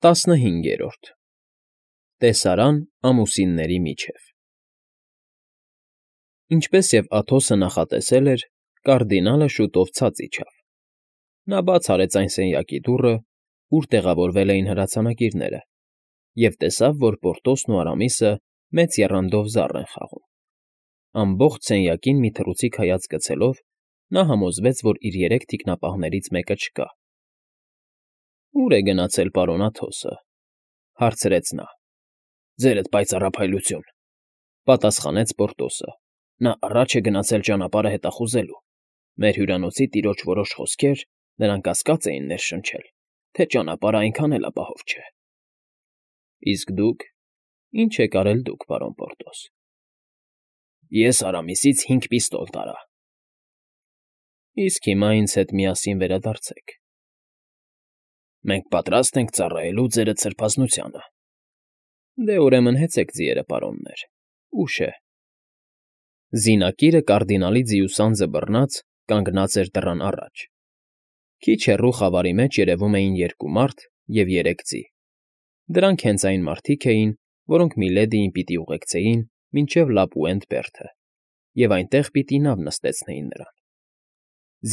15. Տեսարան ամուսինների միջև Ինչպես և Աթոսը նախատեսել էր, կարդինալը շուտով ցած իջավ. նա բաց արեց այն սենյակի դուռը, ուր տեղավորվել էին հրացանակիրները, և տեսավ, որ Պորտոսն ու Արամիսը մեծ եռանդով զառ են խաղում. ամբողջ սենյակին մի թռուցիկ հայացք գցելով, նա համոզվեց, որ իր երեք թիկնապահներից մեկը չկա։ «Ո՞ւր է գնացել պարոն Աթոսը,֊ հարցրեց նա։ «Ձերդ պայծառափայլություն,֊ պատասխանեց Պորտոսը։ Նա առաջ է գնացել ճանապարհը հետախուզելու։ Մեր հյուրանոցի տիրոջ որոշ խոսքեր նրան կասկած էին ներշնչել, թե ճանապարհն այնքան էլ ապահով չէ»։ «Իսկ դուք… Ի՞նչ եք արել դուք, պարոն Պորտոս»։ «Ես Արամիսից 5 պիստոլ տարա»։ «Իսկ հիմա ինձ հետ միասին վերադարձեք»։ «Մենք պատրաստ ենք ծառայելու ձերդ սրբազնությանը»։ «Դե, ուրեմն հեծեք ձիերը, պարոններ, ուշ է»։ Զինակիրը կարդինալի ձիուսանձը բռնած կանգնած էր դռան առաջ։ Քիչ հեռու խավարի մեջ երևում էին 2 մարդ և 3 ձի։ Դրանք հենց այն մարդիկ էին, որոնք Միլեդիին պիտի ուղեկցեին մինչև Լապուենտ բերդը, և այնտեղ պիտի նավ նստեցնեին նրան։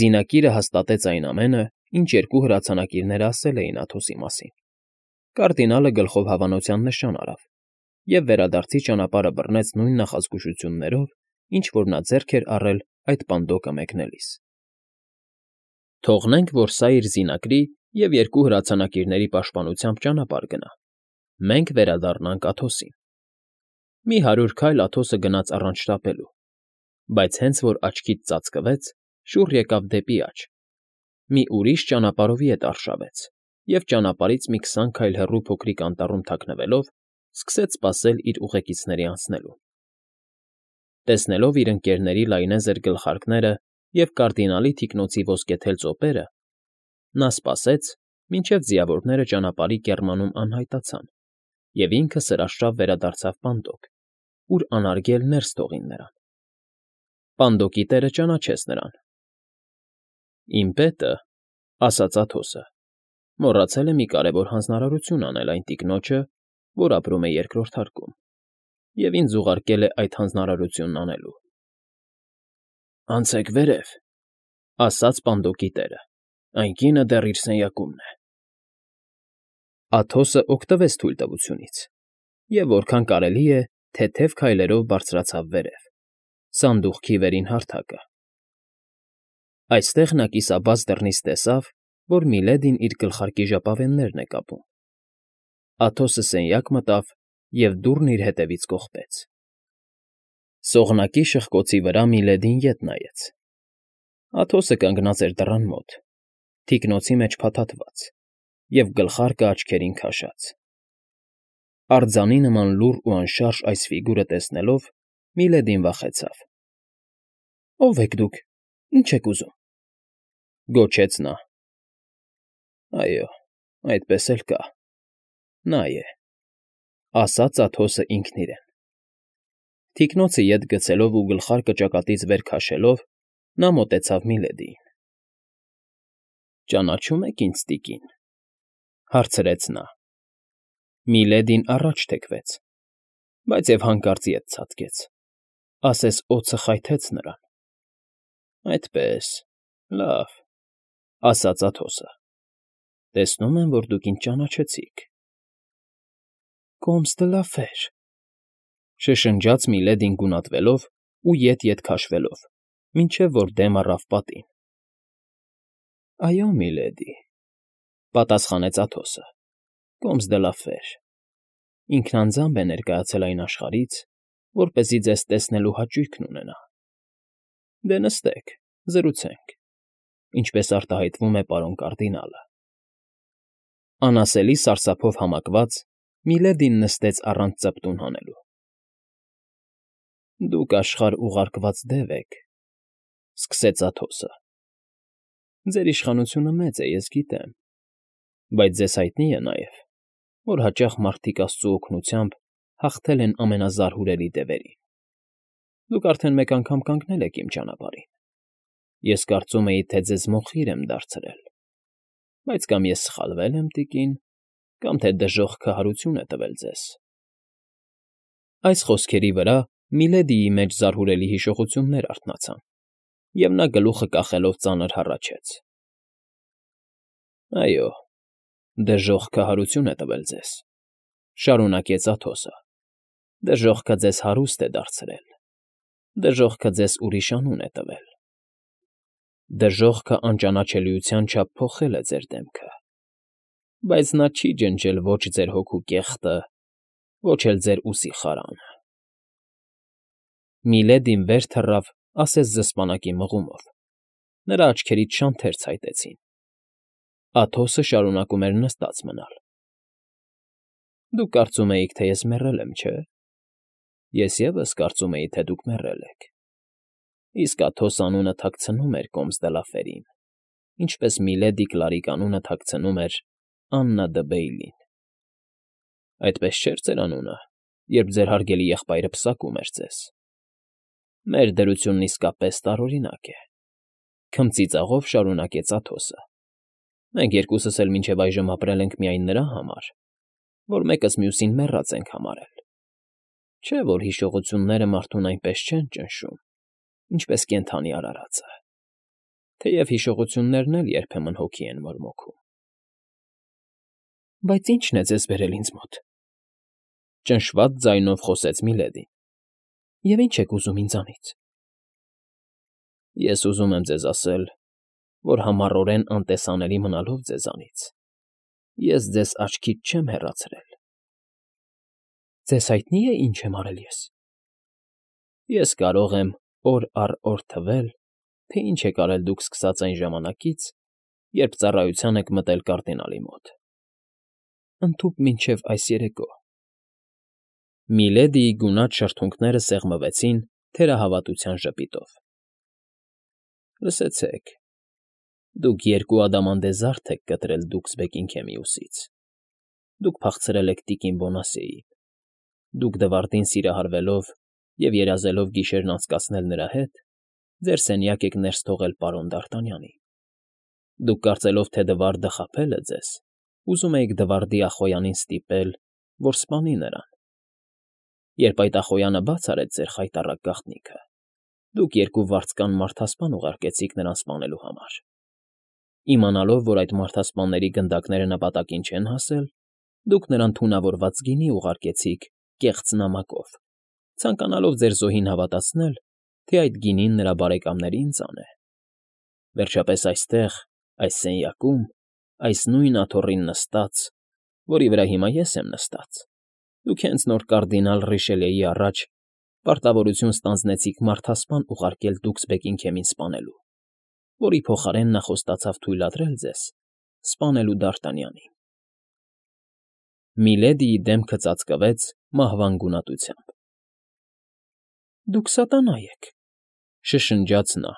Զինակիրը հաստատեց այն ամենը, ինչ 2 հրացանակիրները ասել էին Աթոսի մասին։ Կարդինալը գլխով հավանության նշան արավ և վերադարձի ճանապարհը բռնեց նույն նախազգուշություններով, ինչ որ նա ձեռք էր առել այդ պանդոկը մեկնելիս։ «Թողնենք, որ սա իր զինակրի և 2 հրացանակիրների պաշտպանությամբ ճանապարհ գնա, մենք վերադառնանք Աթոսին»։ Մի 100 քայլ Աթոսը գնաց առանց շտապելու, բայց հենց որ աչքից ծածկվեց, շուռ եկավ դեպի աջ, մի ուրիշ ճանապարհովի հետ արշավեց և ճանապարհից մի 20 քայլ հեռու փոքրիկ անտառում թաքնվելով սկսեց սպասել իր ուղեկիցների անցնելուն։ Տեսնելով իր ընկերների լայնեզր գլխարկները և կարդինալի թիկնոցի ոսկեթել ծոպերը, նա սպասեց, մինչև ձիավորները ճանապարհի կեռմանում անհայտացան, և ինքը սրաշավ վերադարձավ պանդոկ, ուր անարգել ներս թողին նրան։ Պանդոկի տերը ճանաչեց նրան։ «Իմ պետը,֊ ասաց Աթոսը,֊ մոռացել է մի կարևոր հանձնարարություն անել այն տիկնոջը, որ ապրում է 2-րդ հարկում, և ինձ ուղարկել է այդ հանձնարարությունն անելու»։ «Անցեք վերև,֊ ասաց պանդոկի տերը,֊ այն կինը դեռ իր սենյակումն է»։ Աթոսը օգտվեց թույլտվությունից և որքան կարելի է թեթև քայլերով բարձրացավ վերև, սանդուղքի վերին հարթակը։ Այստեղ նա կիսաբաց դռնից տեսավ, որ Միլեդին իր գլխարկի ժապավեններն է կապում։ Աթոսը սենյակ մտավ և դուռն իր ետևից կողպեց։ Սողնակի շղկոցի վրա Միլեդին ետ նայեց։ Աթոսը կանգնած էր դռան մոտ, թիկնոցի մեջ փաթաթված և գլխարկը աչքերին քաշած։ Արձանի նման լուռ ու անշարժ այս ֆիգուրը տեսնելով՝ Միլեդին վախեցավ։ «Ո՞վ եք դուք, ինչ եք ուզում,֊ գոչեց նա։ «Այո, այդպես էլ կա, նա է,֊ ասաց Աթոսը ինքն իրեն։ Թիկնոցը ետ գցելով ու գլխարկը ճակատից վեր քաշելով՝ նա մոտեցավ Միլեդիին։ «Ճանաչո՞ւմ եք ինձ, տիկին,֊ հարցրեց նա։ Միլեդին առաջ թեքվեց, բայց և հանկարծ ետ ցատկեց, ասես օձը խայթեց նրան։ «Այդպե՜ս, լավ,֊ ասաց Աթոսը։ Տեսնում եմ, որ դուք ինձ ճանաչեցիք»։ «Կոմս դը լա ֆեր,֊ շշնջաց Միլեդին գունատվելով ու ետ քաշվելով, մինչև որ դեմ առավ պատին։ «Այո, միլեդի,֊ պատասխանեց Աթոսը,֊ Կոմս դը լա ֆեր. ինքն անձամբ է ներկայացել այն աշխարհից, որպեսզի ձեզ տեսնելու հաճույքն ունենա։ Դե նստեք, զրուցենք, ինչպես արտահայտվում է պարոն կարդինալը»։ Անասելի սարսափով համակված՝ Միլեդին նստեց առանց ծպտուն հանելու։ «Դուք աշխարհ ուղարկված դև եք,֊ սկսեց Աթոսը։ «Ձեր իշխանությունը մեծ է, ես գիտեմ, բայց ձեզ հայտնի է նաև, որ հաճախ մարդիկ աստծու օգնությամբ հաղթել են ամենազարհուրելի դևերին։ Դուք արդեն մեկ անգամ կանգնել եք իմ ճանապարհին։ Ես կարծում էի, թե ձեզ մոխիր եմ դարձրել, բայց կամ ես սխալվել եմ, տիկին, կամ թե դժոխք քահարություն է տվել ձեզ։ Այս խոսքերի վրա Միլեդիի մեջ զարհուրելի հիշողություններ արթնացան, և նա գլուխը կախելով ծանր հառաչեց. Այո, դժոխք քահարություն է տվել ձեզ,֊ շարունակեց Աթոսը,֊ դժոխքը ձեզ հարուստ է դարձրել, դժոխքը ձեզ ուրիշ անուն է տվել, դժոխքը անճանաչելիության չափ փոխել է ձեր դեմքը, բայց նա չի ջնջել ոչ ձեր հոգու կեղտը, ոչ էլ ձեր ուսի խարանը… Միլեդին վեր թռավ, ասես զսպանակի մղումով. նրա աչքերից շանթեր ցայտեցին։ Աթոսը շարունակում էր նստած մնալ։ Դուք կարծում էիք, թե ես մեռել եմ, չէ՞։ Ես ևս կարծում էի, թե դուք մեռել եք։ Իսկ Աթոս անունը թաքցնում էր Կոմս֊դե֊լա֊Ֆերին, ինչպես Միլեդի Կլարիկ անունը թաքցնում էր Աննա դը Բեյլին։ Այդպես չէր ձեր անունը, երբ ձեր հարգելի եղբայրը պսակում էր ձեզ։ Մեր դրությունն իսկապես տարօրինակ է,֊ քմծիծաղով շարունակեց Աթոսը։ Մենք երկուսս էլ մինչև այժմ ապրել ենք միայն նրա համար, որ մեկս մյուսին մեռած ենք համարել։ Չէ՞ որ հիշողությունները մարդուն այնպես չեն ճնշում, ինչպես կենդանի արարածը, թեև հիշողություններն էլ երբեմն հոգի են մորմոքում։ Բայց ի՞նչն է ձեզ բերել ինձ մոտ,֊ ճնշված ձայնով խոսեց Միլեդին,֊ և ի՞նչ եք ուզում ինձանից։ Ես ուզում եմ ձեզ ասել, որ համառորեն անտեսանելի մնալով ձեզանից, ես ձեզ աչքից չեմ հեռացրել։ Ձեզ հայտնի՞ է, ինչ եմ արել ես։ Ես կարող եմ օր առ օր թվել, թե ինչ եք արել դուք սկսած այն ժամանակից, երբ ծառայության եք մտել կարդինալի մոտ, ընդհուպ մինչև այս երեկո… Միլեդիի գունատ շրթունքները սեղմվեցին թերահավատության ժպիտով։ Լսեցեք, դուք երկու ադամանդե զարդ եք կտրել Դուքսբեկին քեմիուսից, դուք փախցրել եք տիկին Բոնասեին, դուք Դվարդին սիրահարվելով և երազելով գիշերն անցկացնել նրա հետ, ձեր սենյակ եք ներս թողել պարոն Դ'Արտանյանի, դուք կարծելով, թե Դվարդը խաբել է ձեզ, ուզում էիք Դվարդի ախոյանին ստիպել, որ սպանի նրան։ Երբ այդ ախոյանը բաց արեց ձեր խայտառակ գաղտնիքը, դուք երկու վարձկան մարդասպան ուղարկեցիք նրան սպանելու համար։ Իմանալով, որ այդ մարդասպանների գնդակները նպատակին չեն հասել, դուք նրան թունավորված գինի ուղարկեցիք կեղծ նամակով, ցանկանալով ձեր զոհին հավատացնել, թե այդ գինին նրա բարեկամներին ծանե։ Վերջապես այստեղ, այս սենյակում, այս նույն աթոռին նստած, որի վրա հիմա ես եմ նստած, դուք հենց նոր կարդինալ Ռիշելիեի առաջ պարտավորություն ստանձնեցիք մարդասպան ուղարկել Դուքսբեկին քեմին սպանելու, որի փոխարեն նա խոստացավ թույլատրել ձեզ սպանելու Դ'Արտանյանին։ Միլեդիի դեմքը ծածկվեց մահվան գունատությամբ։ Դուք սատանա եք,֊ շշնջաց նա,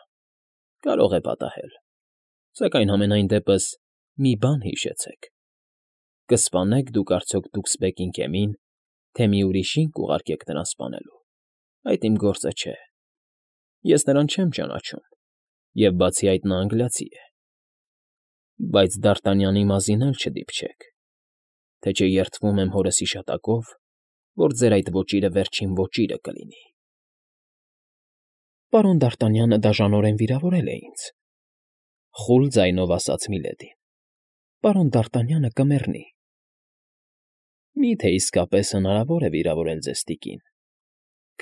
կարող է պատահել, սակայն համենայն դեպս մի բան հիշեցեք. կսպանեք դուք արդյոք Դուքսբեկին քեմին, թե մի ուրիշին կուղարկեք նրան սպանելու, այդ իմ գործը չէ։ Ես նրան չեմ ճանաչում, և բացի այդ նա անգլիացի է։ Բայց Դ'Արտանյանի մազին էլ չդիպչեք, թե չէ երդվում եմ հորս հիշատակով, որ ձեր այդ ոճիրը վերջին ոճիրը կլինի։ Պարոն Դ'Արտանյանը դաժանորեն վիրավորել է ինձ,֊ խուլ ձայնով ասաց Միլեդին։ Պարոն Դ'Արտանյանը կմեռնի։ Մի՞թե իսկապես հնարավոր է վիրավորել ձեզ, տիկին,֊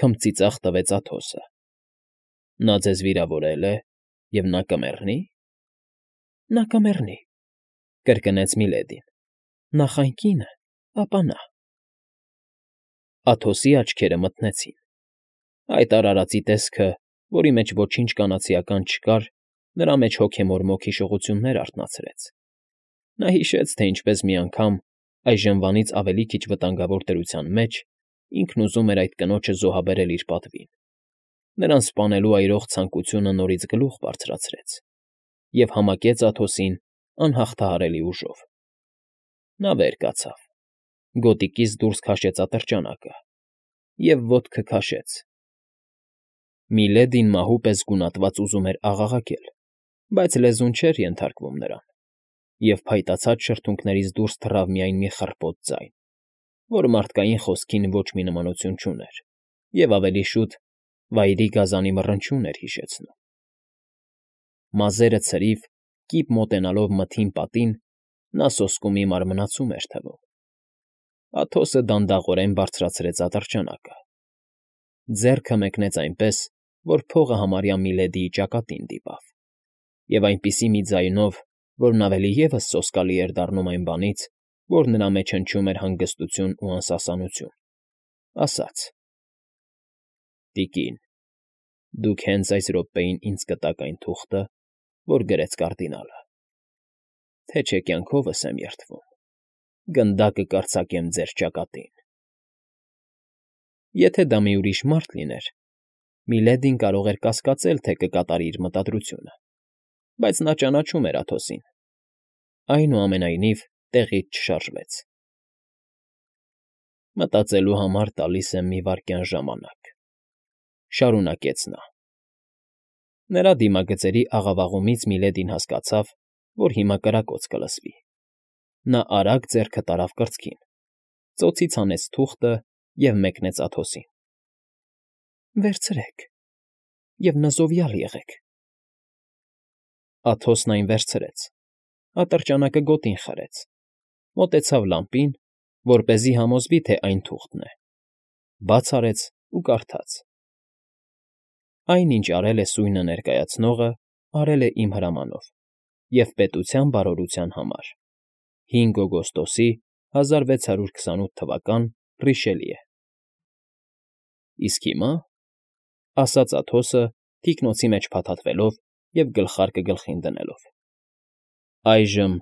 քմծիծաղ տվեց Աթոսը։ Նա ձեզ վիրավորել է, և նա կմեռնի։ Նա կմեռնի,֊ կրկնեց Միլեդին,֊ նախ այն կինը, ապա նա… Աթոսի աչքերը մթնեցին։ Այդ արարածի տեսքը, որի մեջ ոչինչ կանացիական չկար, նրա մեջ հոգեմորմոք հիշողություններ արթնացրեց։ Նա հիշեց, թե ինչպես մի անգամ, այժմվանից ավելի քիչ վտանգավոր դրության մեջ, ինքն ուզում էր այդ կնոջը զոհաբերել իր պատվին։ Նրան սպանելու այրող ցանկությունը նորից գլուխ բարձրացրեց և համակեց Աթոսին անհաղթահարելի ուժով։ Նա վեր կացավ, գոտիկից դուրս քաշեց ատրճանակը և ոտքը քաշեց։ Միլեդին մահու պես գունատված ուզում էր աղաղակել, բայց լեզուն չէր ենթարկվում նրան, և փայտացած շրթունքներից դուրս թռավ միայն մի խռպոտ ձայն, որ մարդկային խոսքին ոչ մի նմանություն չուներ և ավելի շուտ վայրի գազանի մռնչյուն էր հիշեցնում։ Մազերը ցրիվ, կիպ մոտենալով մթին պատին, նա սոսկումի մարմնացում էր թվում։ Աթոսը դանդաղորեն բարձրացրեց ատրճանակը։ Ձեռքը մեկնեց այնպես, որ փողը համարյա Միլեդիի ճակատին դիպավ, և այնպիսի մի ձայնով, որն ավելի ևս սոսկալի էր դառնում այն բանից, որ նրա մեջ հնչում էր հանգստություն ու անսասանություն, ասաց. «Տիկին, դուք հենց այս րոպեին ինձ կտաք այն թուղթը, որ գրեց կարդինալը, թե չէ կյանքովս եմ երդվում, գնդակը կարձակեմ ձեր ճակատին»։ Եթե դա մի ուրիշ մարդ լիներ, Միլեդին կարող էր կասկածել, թե կկատարի իր մտադրությունը, բայց նա ճանաչում էր Աթոսին։ Այնուամենայնիվ տեղից չշարժվեց։ «Մտածելու համար տալիս եմ մի վայրկյան ժամանակ,֊ շարունակեց նա։ Նրա դիմագծերի աղավաղումից Միլեդին հասկացավ, որ հիմա կրակոց կլսվի։ Նա արագ ձեռքը տարավ կրծքին, ծոցից հանեց թուղթը և մեկնեց Աթոսին։ «Վերցրեք և նզովյալ եղեք»։ Աթոսն այն վերցրեց, ատրճանակը գոտին խրեց, մոտեցավ լամպին, որպեսզի համոզվի, թե այն թուղթն է, բաց արեց ու կարդաց. «Այն, ինչ արել է սույնը ներկայացնողը, արել է իմ հրամանով և պետության բարօրության համար. 5 օգոստոսի 1628 թվական Ռիշելիե»։ «Իսկ հիմա,֊ ասաց Աթոսը, թիկնոցի մեջ փաթաթվելով և գլխարկը գլխին դնելով,֊ այժմ,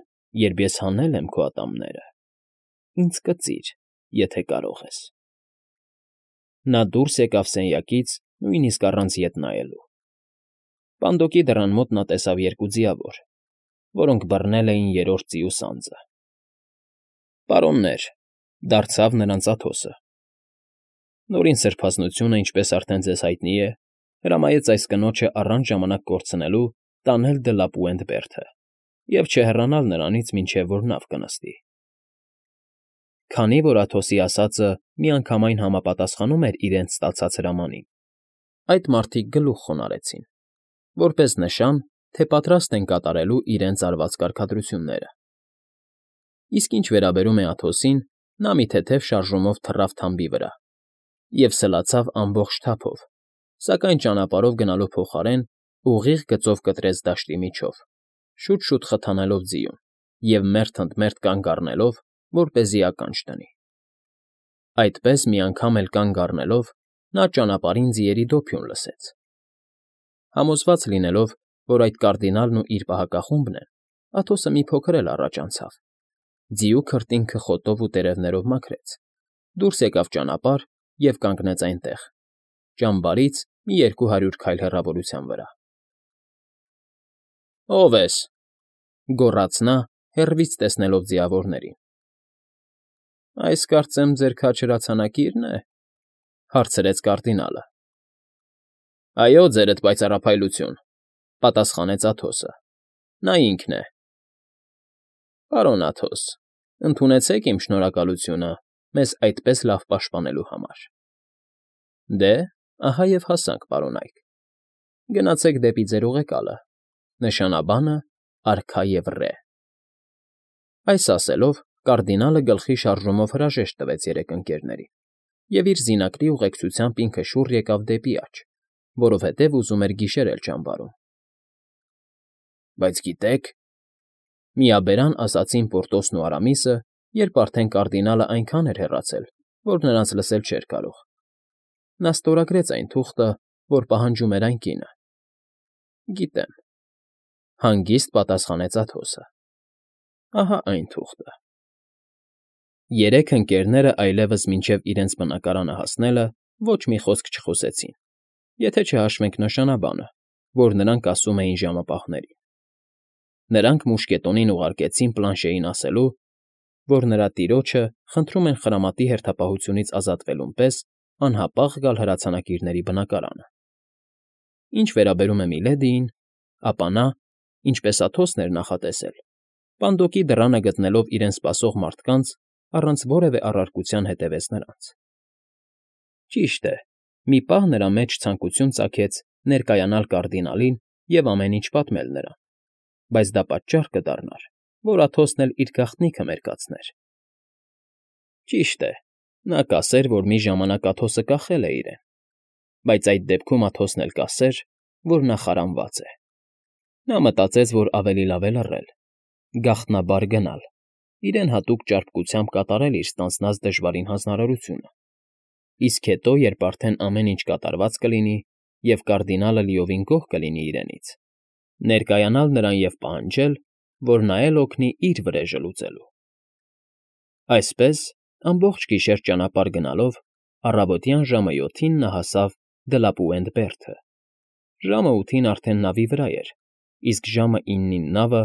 երբ ես հանել եմ քո ատամները, ինձ կծիր, եթե կարող ես»։ Նա դուրս եկավ սենյակից նույնիսկ առանց ետ նայելու։ Պանդոկի դռան մոտ նա տեսավ երկու ձիավոր, որոնք բռնել էին երրորդ ձիու սանձը։ «Պարոններ,֊ դարձավ նրանց Աթոսը,֊ Նորին սրբազնությունը, ինչպես արդեն ձեզ հայտնի է, հրամայեց այս կնոջը առանց ժամանակ կորցնելու տանել դը Լապուենտ֊Բերդը և չհեռանալ նրանից, մինչև որ նավ կնստի»։ Քանի որ Աթոսի ասածը միանգամայն համապատասխանում էր իրենց ստացած հրամանին, այդ մարդիկ գլուխ խոնարհեցին, որպես նշան, թե պատրաստ են կատարելու իրենց արված կարգադրությունները։ Իսկ ինչ վերաբերում է Աթոսին, նա մի թեթև շարժումով թռավ թամբի վրա և սլացավ ամբողջ թափով, սակայն ճանապարհով գնալու փոխարեն ուղիղ գծով կտրեց դաշտի միջով, շուտ֊շուտ խթանելով ձիուն և մերթ ընդ մերթ կանգ առնելով, որպեսզի ականջ դնի։ Այդպես մի անգամ էլ կանգ առնելով՝ նա ճանապարհին ձիերի դոփյուն լսեց։ Համոզված լինելով, որ այդ կարդինալն ու իր պահակախումբն են, Աթոսը մի փոքր էլ առաջ անցավ, ձիու քրտինքը խոտով ու տերևներով մաքրեց, դուրս եկավ ճանապարհ և կանգնեց այնտեղ, ճամբարից մի 200 քայլ հեռավորության վրա։ «Ո՞վ ես,֊ գոռաց նա, հեռվից տեսնելով ձիավորներին։ «Այս, կարծեմ, ձեր քաջ հրացանակի՞րն է,֊ հարցրեց կարդինալը։ «Այո, ձերդ պայծառափայլություն,֊ պատասխանեց Աթոսը։ Նա ինքն է»։ «Պարոն Աթոս, ընդունեցեք իմ շնորհակալությունը մեզ այդպես լավ պաշտպանելու համար»։ «Դե, ահա և հասանք, պարոնայք. գնացեք դեպի ձեր ուղեկալը, նշանաբանը՝ արքա և ռե»։ Այս ասելով կարդինալը գլխի շարժումով հրաժեշտ տվեց երեք ընկերներին և իր զինակրի ուղեկցությամբ ինքը շուռ եկավ դեպի աջ, որովհետև ուզում էր գիշերել ճամբարում։ «Բայց գիտեք,֊ միաբերան ասացին Պորտոսն ու Արամիսը, երբ արդեն կարդինալը այնքան էր հեռացել, որ նրանց լսել չէր կարող։ Նա ստորագրեց այն թուղթը, որ պահանջում էր այն կինը։ «Գիտեմ,֊ հանգիստ պատասխանեց Աթոսը,֊ ահա այն թուղթը»։ Երեք ընկերները այլևս մինչև իրենց բնակարանը հասնելը ոչ մի խոսք չխոսեցին, եթե չհաշվենք նշանաբանը, որ նրանք ասում էին ժամապահներին։ Նրանք մուշկետոնին ուղարկեցին Պլանշեին ասելու, որ նրա տիրոջը խնդրում են խրամատի հերթապահությունից ազատվելուն պես անհապաղ գալ հրացանակիրների բնակարանը։ Ինչ վերաբերում է Միլեդիին, ապա նա, ինչպես Աթոսն էր նախատեսել, Պանդոկի դռանը գտնելով իրեն սպասող մարդկանց, առանց որևէ առարկության հետևեց նրանց։ Ճիշտ է, մի պահ նրա մեջ ցանկություն ծագեց ներկայանալ կարդինալին և ամեն ինչ պատմել նրան, բայց դա պատճառ կդառնար, որ Աթոսն էլ իր գաղտնիքը մերկացներ։ Ճիշտ է, նա կասեր, որ մի ժամանակ Աթոսը կախել է իրեն, բայց այդ դեպքում Աթոսն էլ կասեր, որ նա խարանված է։ Նա մտածեց, որ ավելի լավ է լռել, գաղտնաբար գնալ, իրեն հատուկ ճարպկությամբ կատարել իր ստանձնած դժվարին հանձնարարությունը, իսկ հետո, երբ արդեն ամեն ինչ կատարված կլինի և կարդինալը լիովին գոհ կլինի իրենից, ներկայանալ նրան և պահանջել, որ նա էլ օգնի իր վրեժը լուծելու։ Այսպես, ամբողջ գիշեր ճանապարհ գնալով, առավոտյան ժամը 7-ին նա հասավ Դլապուենդ֊Բերդը։ Ժամը 8-ին արդեն նավի վրա էր, իսկ ժամը 9-ին նավը,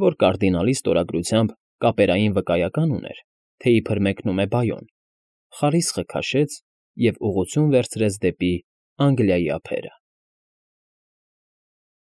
որ կարդինալի ստորագրությամբ կապերային վկայական ուներ, թե իբր մեկնում է Բայոն, խարիսխը քաշեց և ուղղություն վերցրեց դեպի Անգլիայի ափերը։